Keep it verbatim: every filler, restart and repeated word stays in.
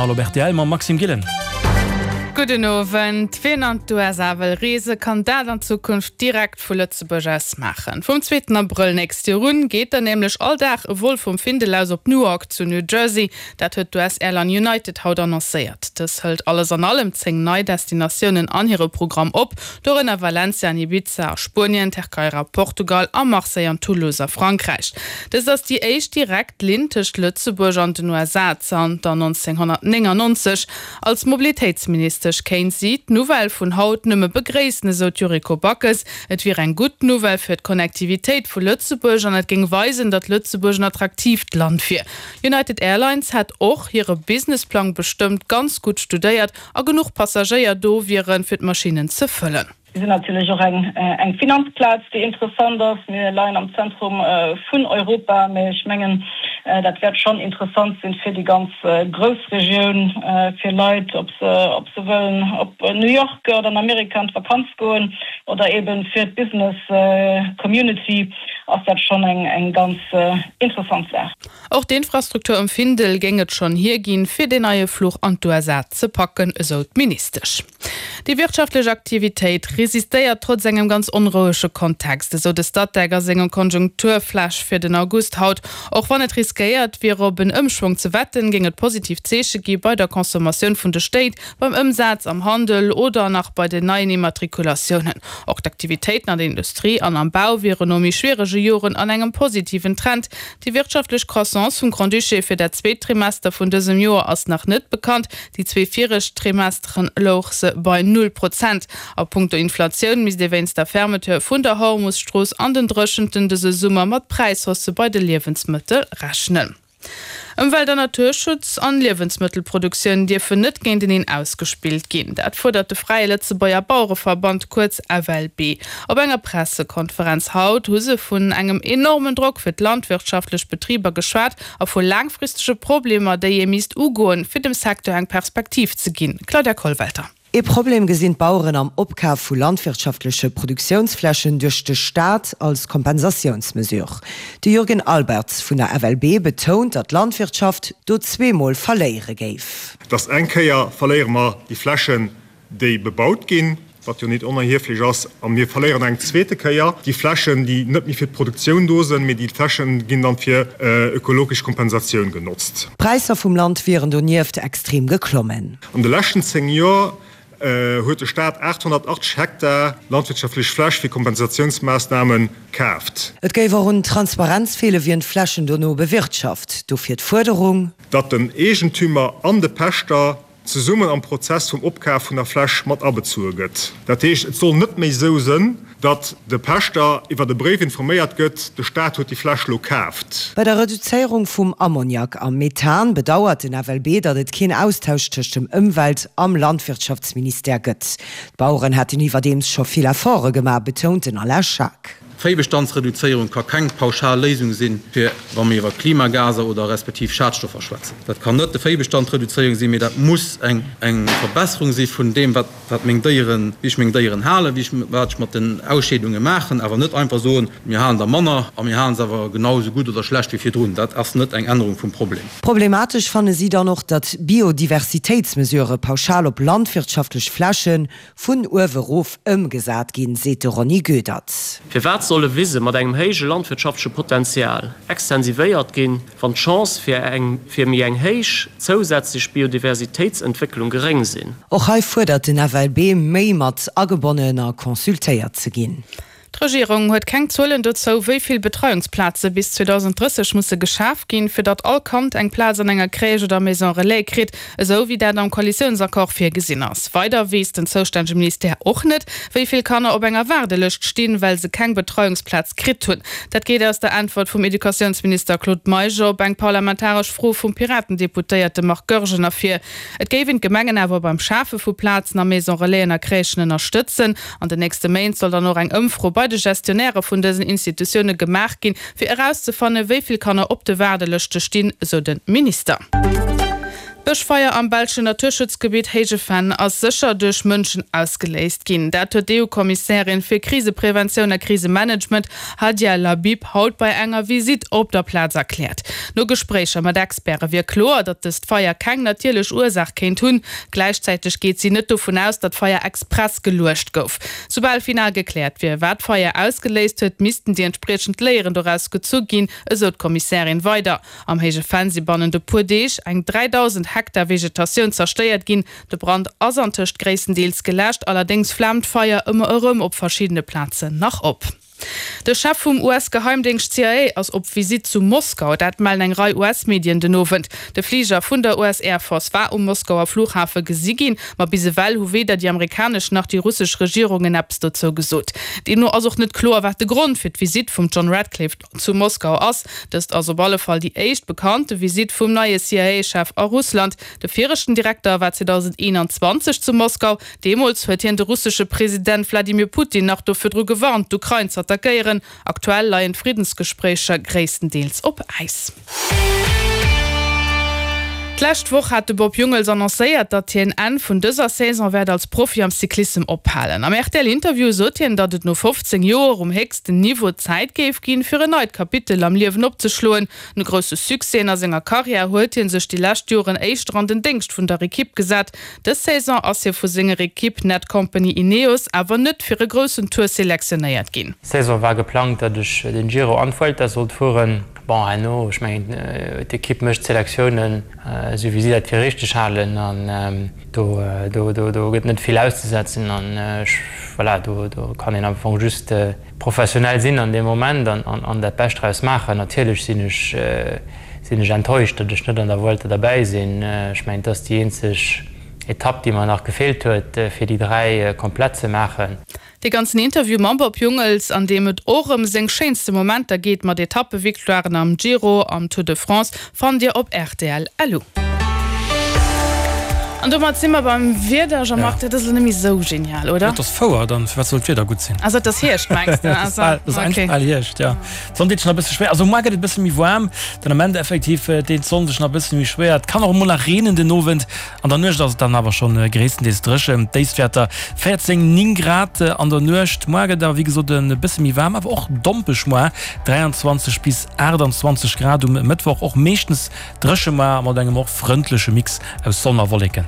Journal op rtl mam Maxime Gillen. Gudden Owend. Wien an d'USA wëll reese kann dat an Zukunft direkt vu Lëtzebuerg aus maachen. Vum zweeten Abrëll nächst Joer un geet dann nämlech all Dag e Vol vum Findel aus op Newark zu New Jersey. Dat huet d'US-Airline United haut annoncéiert. Dës hëlt alles an allem zéng nei Destinatiounen an hire Programm op, dorënner Valencia an Ibiza a Spuenien, Tierkei a Portugal a Marseille an Toulouse a Frankräich. Dëst ass déi éischt direkt Linn tëscht Lëtzebuerg an den USA zanter nonzénghonnertnéngannonzeg. Als Mobilitéitsministesch kéint si d'Nouvelle vun haut nëmme begréissen, esou d'Yuriko Backes. Et wier eng gutt Nouvelle fir d'Connectivitéit vu Lëtzebuerg an et géing weisen, datt Lëtzebuerg en attraktiivt Land wier. United Airlines hätt och hire Businessplang bestëmmt ganz gutt studéiert a genuch Passagéier do wieren, fir d'Maschinnen ze fëllen. Mir sinn natierlech och eng Finanzplaz, déi interessant ass. Mir leien am Zentrum vun Europa, mä ech mengen, dat wäert schonn interessant sinn fir déi ganz Groussregioun, fir Leit, ob se ob se wëllen op New York oder an Amerika an d'Vakanz goen oder eeben fir d'Business Community ass dat schonn eng ganz interessant Saach. Och d'Infrastruktur um Findel géing et schonn hierginn, fir deen neie Fluch an d'USA ze packen, esou d'Ministesch. Déi wirtschaftlech Aktivitéit resistéiert trotz engem ganz onrouege Kontext, esou de Statec a sengem Konjunkturflash fir den August haut. Och wann et riskéiert wier op en Ëmschwong ze wetten, géing et positiv Zeeche gi bei der Consommatioun vun de Stéit, beim Ëmsaz am Handel oder nach bei den neien Immatrikulatiounen. Och d'Aktivitéiten an der Industrie an am Bau wieren no méi schwierege Joren an engem positiven Trend. Déi wirtschaftlech Croissance vum Grand-Duché fir dat zweet Trimester vun dësem Joer ass nach net bekannt. Déi zwee viregt Trimesteren louch se bei null Prozent. A punkto Inflatioun misst ee wéinst der Fermeture vun der Hormus-Strooss an den Dréchenten dëse Summer mat Präishaussë bei de Liewensmëttel rechnen. Ëmwelt an Naturschutz an Liewensmëttelproduktioun dierfen net géinteneen ausgespillt ginn. Dat fuerdert de Fräie Lëtzebuerger Bauereverband, kuerz F L B. Op enger Pressekonferenz haut hu se vun engem enormen Drock fir d'landwirtschaftlech Betriber geschwat a vu laangfristege Problemer, déi ee misst ugoen, fir dem Secteur eng Perspektiv ze ginn. Claudia Kollwelter. Ee Problem gesinn d'Baueren am Opkaf vu landwirtschaftleche Produktiounsflächen duerch de Staat als Kompensatiounsmesure. De Jürgen Albertz vun der F L B betount, datt d'Landwirtschaft do zweemol verléiere géif. Dass eng Kéier verléiere mer déi Flächen, déi bebaut ginn, wat jo net onerhieflech ass, a mir verléieren eng zweete Kéier déi Flächen, déi net méi fir d'Produktioun do sinn, mee déi Flächen ginn dann fir ökologesch Kompensatioun genotzt. D'Präisser vum Land wieren donieft extrem geklommen. An de leschten zéng Joer huet de Staat aathonnertachtzeg Hektar landwirtschaftlech Fläch fir Kompensatiounsmaassname kaaft. Et géif och un Transparenz feelen, wien d'Flächen dono bewirtschaft. Dofir d'Fuerderung. Datt den Eegentümer an de Pächter zesummen am Prozess vum Opkaf vun der Fläch mat abezueë gëtt. Dat heescht, et soll net méi esou sënn, datt de Pächter iwwert e Bréif informéiert gëtt, de Staat huet déi Fläch lo kaaft. Bei der Reduzéierung vum Ammoniak a Methan bedauert den F L B, datt et keen Austausch tëscht dem Ëmwelt am Landwirtschaftsministère gëtt. D'Baueren hätten iwwerdeems scho vill Efforte gemaach, betount den Alain Schaack. D'Véibestandsreduzéierung ka keng pauschal Léisung sinn, fir wa mir iwwer Klimagaser oder respektiv Schadstoffer schwätzen. Dat kann net de Véibestandsreduzéierung sinn, mee dat muss eng eng Verbesserung si vun deem, wat wat meng Déieren, wéi ech meng Déieren halen, wéi ech wat ech mat den Ausscheedunge maachen, awer net einfach soen, mir halen der manner a mir halen se awer genau esou gutt oder schlecht wéi virdrun. Dat ass net eng Ännerung vum Problem. Problematesch fanne si dann och, datt Biodiversitéitsmesurë pauschal op landwirtschaftlech Fläche vun uewe rof ëmgesat ginn, seet de Ronny Goedert. Firwat solle Wise mat engem héije landwirtschaftleche Potenzial extensivéiert ginn, wann d'Chance fir eng fir méi eng héich zousätzlech Biodiversitéitsentwécklung geréng sinn? Och hei fuerdert den F L B, méi mat agebonnen a consultéiert ze ginn. D'Regierung huet keng Zuelen dozou, wéi vill Betreiungsplaze bis zweedausendrësseg musse geschaf ginn, fir datt all Kand eng Plaz an enger Crèche oder Maison Relais kritt, esou wéi dat am Koalitiounsaccord virgesinn ass. Weider weess den zoustännege Ministère och net, wéi vill Kanner op enger Waardelëscht stinn, well se keng Betreiungsplaz kritt hunn. Dat geet aus der Äntwert vum Educatiounsminister Claude Meisch op eng parlamentaresch Fro vum Piraten-Deputéierte Marc Goergen ervir. Et géif een d'Gemengen awer beim Schafe vu Plazen a Maison Relaisen a Crèchen ënnerstëtzen. An den nächste Méint soll dann och eng Ëmfro bei de Gestionnairë vun dësen Institutioune gemaach ginn, fir erauszefannen, wéi vill Kanner op de Waardelëschte stinn, esou de Minister. D'Bëschfeier am belschen Naturschutzgebitt Héije Venn ass sécher duerch Mënschen ausgeléist ginn. Dat huet d'EU-Kommissärin fir Krisepreventioun a Krisemanagement Hadja Lahbib haut bei enger Visitt op der Plaz erkläert. No Gespréicher mat Experte wier kloer, datt dëst Feier keng natierlech Ursaach kéint hunn. Gläichzäiteg geet si net dovun aus, datt d'Feier express geluecht gouf. Soubal final gekläert wier, wat d'Feier ausgeléist huet, missten déi entspriechend Léieren doraus gezu ginn, esou d'Kommissärin weider. Am Héije Venn si bannent e puer Deeg eng dräidausend Hektar Vegetatioun zerstéiert ginn. De Brand ass antëscht gréisstendeels geläscht, allerdéngs flaamt d'Feier ëmmer erëm op verschiddene Plazen nach op. De Chef vum U S-Geheimdéngscht C I A ass op Visitt zu Moskau. Dat mellen eng Rei U S-Medien den Owend. De Fliger vun der U S Air Force war um Moskauer Flughafe gesi ginn, ma bis ewell hu weder déi amerikanesch nach déi russesch Regierungen eppes dozou gesot. Deemno ass och net kloer, wat de Grond fir d'Visitt vum John Ratcliffe zu Moskau ass. Dëst ass op alle Fall déi éischt bekannte Visitt vum neie C I A-Chef a Russland. De viregten Direkter war zweedausendeenanzwanzeg zu Moskau. Deemools huet hien de russesche President Wladimir Putin nach do virdru gewarnt, d'Ukrain z'attackéieren. Aktuell leien d'Friddensgespréicher gréisstendeels op Äis. D'lescht Woch hat de Bob Jungels annoncéiert, datt hien Enn vun dëser Saison wäert als Profi am Cyclissem ophalen. Am R T L-Interview sot hien, datt et no fofzéng Joer um héchsten Niveau Zäit géif ginn, fir en neit Kapitel am Liewen opzeschloen. No grousse Succèsen a senger Karriär huet hie sech déi lescht Joren éischter an den Déngscht vun der Ekipp gesat. Dës Saison ass hie vu senger Ekipp Netcompany Ineos awer net fir e groussen Tour selektionéiert ginn. Saison war geplangt, datt ech den Giro an d'Vuelta sollt fueren. Bon, herno, ech mengen, d'Ekipp mécht d'Selektiounen, esou wéi si dat fir richteg halen an do, do, do, do gëtt net vill auszesetzen an ech, voilà, do, do kann een am Fong just professionell sinn an deem Moment an, an, an dat Bescht draus maachen. Natierlech sinn ech, sinn ech enttäuscht, datt ech net an der Vuelta derbäi sinn. Ech mengen, et ass déi eenzeg Etapp, déi mer nach gefeelt huet, fir déi dräi komplett ze maachen. Dee ganzen Interview mam Bob Jungels, an deem et och ëm seng schéinste Momenter geet mat Etappevictoiren am Giro, am Tour de France, fannt Dir op rtl. Lu. An domat si mer beim Wieder, Jean-Marc, dat ass elo net méi sou genial, oder? Et ass fouer, dann firwat soll d'Wieder gutt sinn? Also et ass Hierscht, mengs de? Et ass bal, et ass eigentlech bal Hierscht, jo. D'Sonn deet sech nach e bësse schwéier, also muar gëtt et e bësse méi waarm, den Ament effektiv deet d'Sonn sech nach e bësse méi schwéier. Et kann och emol nach reenen den Owend. An der Nuecht ass et dann awer schonn gréisstendeels dréchen. D'Déifstwäerter véierzéng, néng Grad an der Nuecht. Muar gëtt awer wéi gesot e bësse méi waarm, awer och dompeg muar, dräianzwanzeg bis aachtanzwanzeg Grad um Mëttwoch. Och meeschtens dréche muar a mat engem och frëndleche Mix aus Sonn a Wolleken.